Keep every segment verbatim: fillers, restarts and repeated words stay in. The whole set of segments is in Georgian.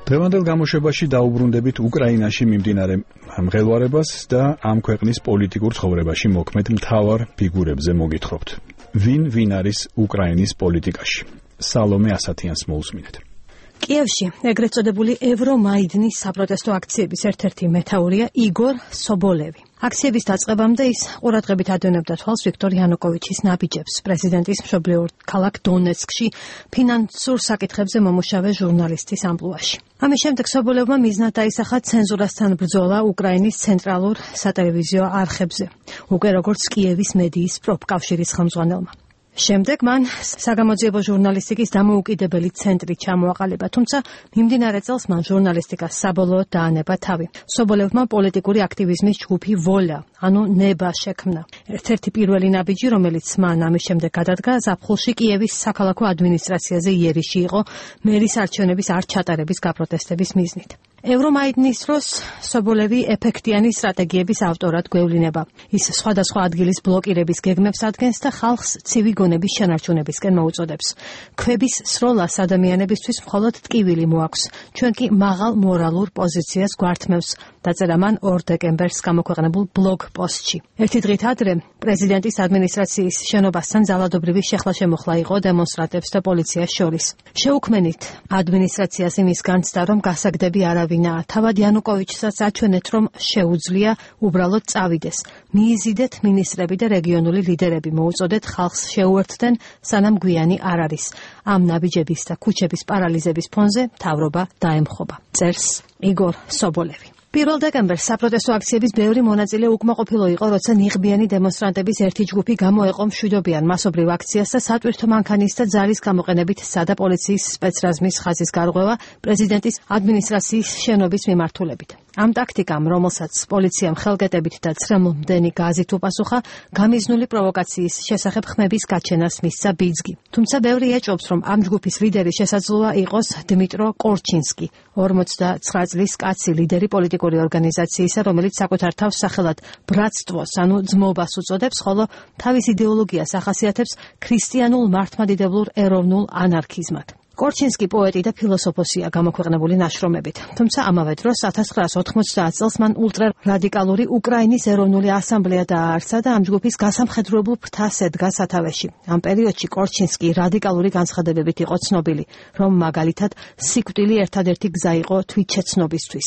დღევანდელ გამოშვებაში დაუბრუნდებით უკრაინაში მიმდინარე მღელვარებას და ამ ქვეყნის პოლიტიკურ ცხოვრებაში მოქმედ მთავარ ფიგურებზე მოგითხრობთ. ვინ ვინ არის უკრაინის პოლიტიკაში? სალომე ასათიანს მოусმინეთ. კიევში ეგრეთ წოდებული ევრომაიდნის საპროტესტო აქციების ერთ-ერთი მეთაურია იგორ სობოლევი. აქციების დაწყებამდე ის ყურადღებით ადევნებდა თვალს ვიქტორ იანუკოვიჩის ნაბიჯებს პრეზიდენტის მშობლიურ ქალაქ დონეცკში ფინანსურ საკითხებზე მომუშავე ჟურნალისტის ამპლუაში. ამის შემდეგ სობოლევმა მიზნად დაისახა ცენზურასთან ბრძოლა უკრაინის ცენტრალურ სატელევიზიო არხებზე, უკვე როგორც კიევის მედიის პროფკავშირის ხელმძღვანელმა. შემდეგ მან საგამოძიებო ჟურნალისტიკის დამოუკიდებელი ცენტრი ჩამოაყალიბა, თუმცა მიმდინარე წელს მან ჟურნალისტიკას საბოლოოდ დაანება თავი. სობოლევმა პოლიტიკური აქტივიზმის ჯგუფი ვოლა, ანუ ნება შექმნა. ერთ-ერთი პირველი ნაბიჯი, რომელიც მან ამის შემდეგ გადადგა, ზაფხულში კიევის საქალაქო ადმინისტრაციაზე იერიში იყო მერის არჩევნების არ ჩატარების გაპროტესტების მიზნით. ევრომაიდნის დროს სობოლევი ეფექტიანი სტრატეგიების ავტორად გვევლინება. ის სხვადასხვა ადგილის ბლოკირების გეგმებს ადგენს და ხალხს ცივი გონების შენარჩუნებისკენ მოუწოდებს. ქვების სროლას ადამიანებისთვის მხოლოდ ტკივილი მოაქვს, ჩვენ კი მაღალ მორალურ პოზიციას გვართმევს, დაწერა მან ორ დეკემბერს გამოქვეყნებულ ბლოგ პოსტში. ერთი დღით ადრე პრეზიდენტის ადმინისტრაციის შენობასთან ძალადობრივი შეხლა-შემოხლა იყო დემონსტრანტებს და პოლიციას შორის. შეუქმენით ადმინისტრაციას იმის განცდა, რომ გასაგდები არავინაა. თავად იანუკოვიჩსაც აჩვენეთ, რომ შეუძლია უბრალოდ წავიდეს. მიიზიდეთ მინისტრები და რეგიონული ლიდერები, მოუწოდეთ ხალხს შეუერთდნენ, სანამ გვიანი არ არის. ამ ნაბიჯების და ქუჩების პარალიზების ფონზე მთავრობა დაემხობა. წერს იგორ სობოლევი. პირველ დეკემბერს საპროტესტო აქციების ბევრი მონაწილე უკმაყოფილო იყო, როცა ნიღბიანი დემონსტრანტების ერთი ჯგუფი გამოეყო მშვიდობიან მასობრივ აქციას და სატვირთო მანქანის და ძალის გამოყენებით სცადა პოლიციის სპეცრაზმის ხაზის გარღვევა პრეზიდენტის ადმინისტრაციის შენობის მიმართულებით. ამ ტაქტიკამ, რომელსაც პოლიციამ ხელკეტებით და ცრემლმდენი გაზით უპასუხა, გამიზნული პროვოკაციის შესახებ ხმების გაჩენას მისცა ბიძგი. თუმცა ბევრი ეჭვობს, რომ ამ ჯგუფის ლიდერი შესაძლოა იყოს დმიტრო კორჩინსკი, ორმოცდაცხრა წლის კაცი ლიდერი პოლიტიკური ორგანიზაციისა, რომელიც საკუთარ თავს სახელად ბრატსტვოს, ანუ ძმობას უწოდებს, ხოლო თავის იდეოლოგიას ახასიათებს ქრისტიანულ მართლმადიდებლურ ეროვნულ ანარქიზმად. კორჩინსკი პოეტი და ფილოსოფოსია გამოქვეყნებული ნაშრომებით. თუმცა ამავე დროს ათას ცხრაას ოთხმოცდაათ წელს მან ულტრარადიკალური უკრაინის ეროვნული ასამბლეა დააარსა და ამ ჯგუფის გასამხედროებულ ფრთას ედგა სათავეში. ამ პერიოდში კორჩინსკი რადიკალური განცხადებებით იყო ცნობილი, რომ მაგალითად სიკვდილი ერთადერთი გზა იყო თვითშეცნობისთვის.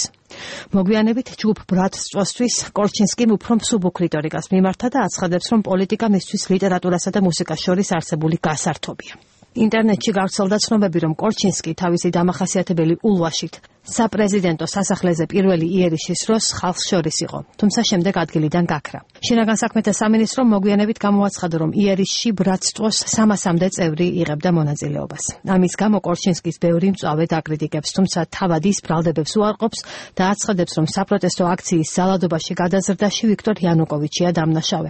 მოგვიანებით ჯგუფ ბრატსტვოსთვის კორჩინსკიმ უფრო მსუბუქ რიტორიკას მიმართა და აცხადებს, რომ პოლიტიკა მისთვის ლიტერატურასა და მუსიკას შორის არსებული გასართობია. ინტერნეტში გავრცელდა ცნობები, რომ კორჩინსკი თავისი დამახასიათებელი ულვაშით საპრეზიდენტო სასახლეზე პირველი იერიშის დროს ხალხს შორის იყო, თუმცა შემდეგ ადგილიდან გაქრა. შინაგან საქმეთა სამინისტრომ მოგვიანებით გამოაცხადა, რომ იერიშში ბრატსტვოს სამასამდე წევრი იღებდა მონაწილეობას. ამის გამო კორჩინსკის ბევრი მწვავე დაკრიტიკებს, თუმცა თავად ის ბრალდებებს უარყოფს და აცხადებს, რომ საპროტესტო აქციის ძალადობაში გადაზრდაში ვიქტორ იანუკოვიჩია დამნაშავე.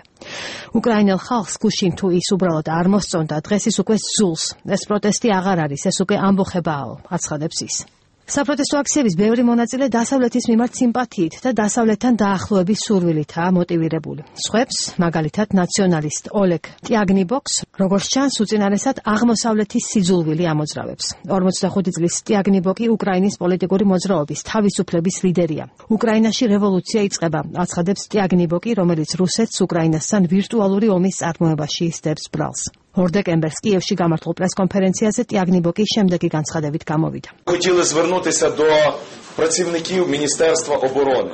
უკრაინელ ხალხს გუშინ თუ ის უბრალოდ არ მოსწონდა, დღეს ის უკვე ზულს. ეს პროტესტი აღარ არის, ეს უკვე ამბოხებაა, აცხადებს ის. საპროტესტო აქციების ბევრი მონაწილე დასავლეთის მიმართ სიმპათიით და დასავლეთთან დაახლოების სურვილითაა მოტივირებული. სხვებს, მაგალითად ნაციონალისტ ოლეგ ტიაგნიბოქს, როგორც ჩანს, უწინარესად აღმოსავლეთის სიძულვილი ამოძრავებს. ორმოცდახუთი წლის ტიაგნიბოკი უკრაინის პოლიტიკური მოძრაობის თავისუფლების ლიდერია. უკრაინაში რევოლუცია იწყება, აცხადებს ტიაგნიბოკი, რომელიც რუსეთს უკრაინასთან ვირტუალური ომის წარმოებაში ისდებს ბრალს. ორ დეკემბერს კიევში გამართულ პრესკონფერენციაზე ტიაგნიბოკი შემდეგი განცხადებით გამოვიდა.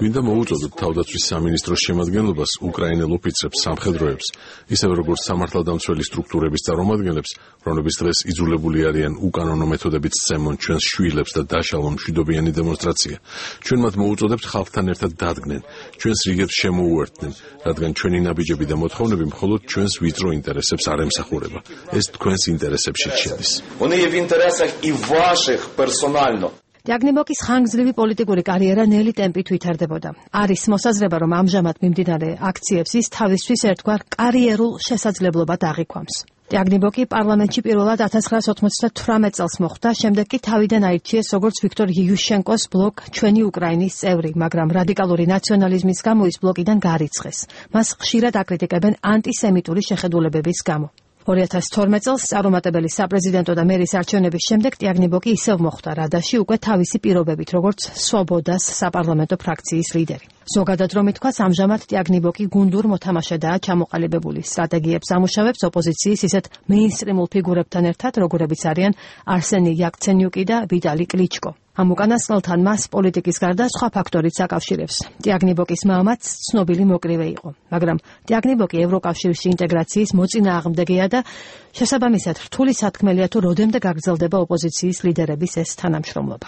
გვინდა მოუწოდოთ თავდაცვის სამინისტროს შემადგენლობას უკრაინელ ოფიცრებს, სამხედროებს, ისევე როგორც სამართალდამცველი სტრუქტურების წარმომადგენლებს, რომლებიც დღეს იძულებული არიან უკანონო მეთოდებით სწემონ ჩვენს შვილებს და დაშალონ მშვიდობიანი დემონსტრაცია. ჩვენ მათ მოუწოდებთ ხალხთან ერთად დადგნენ, ჩვენს რიგებს შემოუერთდნენ, რადგან ჩვენი ნაბიჯები და მოთხოვნები მხოლოდ ჩვენს ვიწრო ინტერესებს არ ემსახურება. ეს თქვენს ინტერესებშიც შედის. ტიაგნიბოკის ხანგრძლივი პოლიტიკური კარიერა ნელი ტემპით ვითარდებოდა. არის მოსაზრება, რომ ამჟამად მიმდინარე აქციებს ის თავისთვის ერთგვარ კარიერულ შესაძლებლობად აღიქვამს. ტიაგნიბოკი პარლამენტში პირველად ათას ცხრაას ოცდათვრამეტ წელს მოხვდა, შემდეგ კი თავიდან აირჩიეს როგორც ვიქტორ იუშენკოს ბლოკ ჩვენი უკრაინის წევრი, მაგრამ რადიკალური ნაციონალიზმის გამო ის ბლოკიდან გარიცხეს. მას ხშირად აკრიტიკებენ ანტისემიტური შეხედულებების გამო. ორი ათას თორმეტ წელს წარუმატებელი საპრეზიდენტო და მერის არჩევნების შემდეგ ტიაგნიბოკი ისევ მოხვდა რადაში უკვე თავისი პირობებით, როგორც სვობოდას საპარლამენტო ფრაქციის ლიდერი. ზოგადად რომ ითქვას, ამჟამად ტიაგნიბოკი გუნდურ მოთამაშედაა ჩამოყალიბებული. სტრატეგიებს ამუშავებს ოპოზიციის ისეთ მეინსტრიმულ ფიგურებთან ერთად, როგორებიც არიან არსენი იაკცენიუკი და ვიტალი კლიჩკო. ამ უკანასკნელთან მას პოლიტიკის გარდა სხვა ფაქტორიც აკავშირებს. ტიაგნიბოკის მამაც ცნობილი მოკრივე იყო, მაგრამ ტიაგნიბოკი ევროკავშირში ინტეგრაციის მოწინააღმდეგეა და შესაბამისად რთული სათქმელია თუ როდემდე გაგრძელდება ოპოზიციის ლიდერების ეს თანამშრომლობა.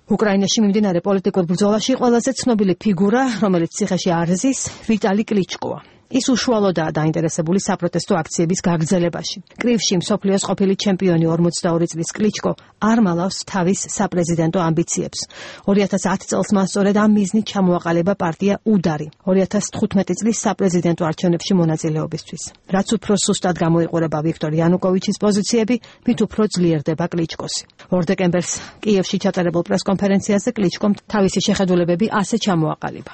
უკრაინაში მიმდინარე პოლიტიკურ ბრძოლაში ყველაზე ცნობილი ფიგურა, რომელიც ციხეში არ ზის, ვიტალი კლიჩკოა. ის უშუალოდაა დაინტერესებული საპროტესტო აქციების გაგრძელებაში. კრივში მსოფლიოს ყოფილი ჩემპიონი ორმოცდაორი წლის კლიჩკო არ მალავს თავის საპრეზიდენტო ამბიციებს. ორი ათას ათი წელს მას სწორედ ამ მიზნით ჩამოაყალიბა პარტია უდარი ორი ათას თხუთმეტი წლის საპრეზიდენტო არჩევნებში მონაწილეობისთვის. რაც უფრო სუსტად გამოიყურება ვიქტორ იანუკოვიჩის პოზიციები, მით უფრო ძლიერდება კლიჩკოსი. ორ დეკემბერს კიევში ჩატარებულ პრესკონფერენციაზე კლიჩკომ თავისი შეხედულებები ასე ჩამოაყალიბა.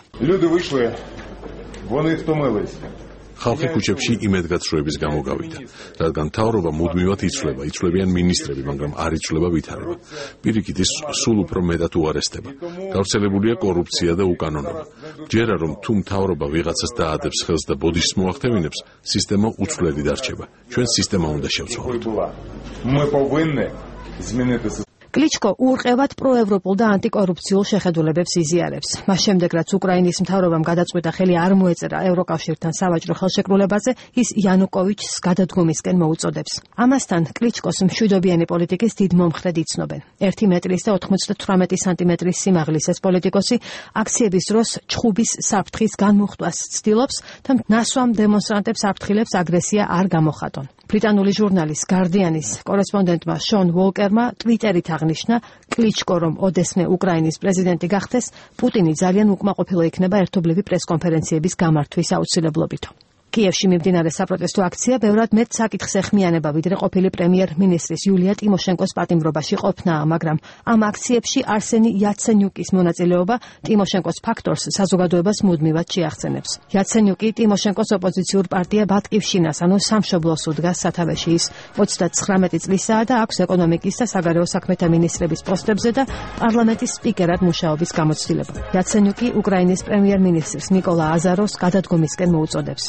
ხალხი ქუჩებში იმედგაცრუების გამო გავიდა, რადგან მთავრობა მუდმივად იცვლება, იცვლებიან მინისტრები, მაგრამ არ იცვლება ვითარება. პირიქით ის სულ უფრო მეტად უარესდება. გავრცელებულია კორუფცია და უკანონობა. ჯერა რომ თუ მთავრობა ვიღაცას დაადებს ხელს და ბოდიშს მოახდევინებს, სისტემა უცვლელი დარჩება. ჩვენ სისტემა უნდა შევცვალოთ. კლიჩკო ურყევად პროევროპულ და ანტიკორუფციულ შეხედულებებს იზიარებს. მას შემდეგ, რაც უკრაინის მთავრობამ გადაწყვიტა ხელი არ მოეწერა ევროკავშირთან სავაჭრო ხელშეკრულებაზე, ის იანუკოვიჩს გადადგომისკენ მოუწოდებს. ამასთან კლიჩკოს მშვიდობიანი პოლიტიკის დიდ მომხრედ იცნობენ. ერთი მეტრის და ოთხმოცდათვრამეტი სანტიმეტრის სიმაღლის ეს პოლიტიკოსი აქციების დროს ჩხუბის საფრთხის განმუხტვას ცდილობს და ნასვამ დემონსტრანტებს აფრთხილებს აგრესია არ გამოხატონ. ბრიტანული ჟურნალის გარდიანის კორესპონდენტმა შონ ვოლკერმა ტვიტერით აღნიშნა, კლიჩკო რომ ოდესმე უკრაინის პრეზიდენტი გახდეს, პუტინი ძალიან უკმაყოფილო იქნება ერთობლივი პრესკონფერენციების გამართვის აუცილებლობითო. კიევში მიმდინარე საპროტესტო აქცია ბევრად მეტ საკითხს ეხმიანება, ვიდრე ყოფილი პრემიერ-მინისტრის იულია ტიმოშენკოს პატიმრობაში ყოფნა, მაგრამ ამ აქციებში არსენი იაცენიუკის მონაწილეობა ტიმოშენკოს ფაქტორს საზოგადოებას მუდმივად შეახცენებს. იაცენიუკი ტიმოშენკოს ოპოზიციურ პარტია ბატკივშინას, ანუ სამშობლოს უდგას სათავეში. ის ოცდათხრამეტი წლისაა და აქვს ეკონომიკის და საგარეო საქმეთა მინისტრების პოსტებზე და პარლამენტის სპიკერად მუშაობის გამოცდილება. იაცენიუკი უკრაინის პრემიერ-მინისტრს ნიკოლა აზაროვს გადადგომისკენ მოუწოდებს.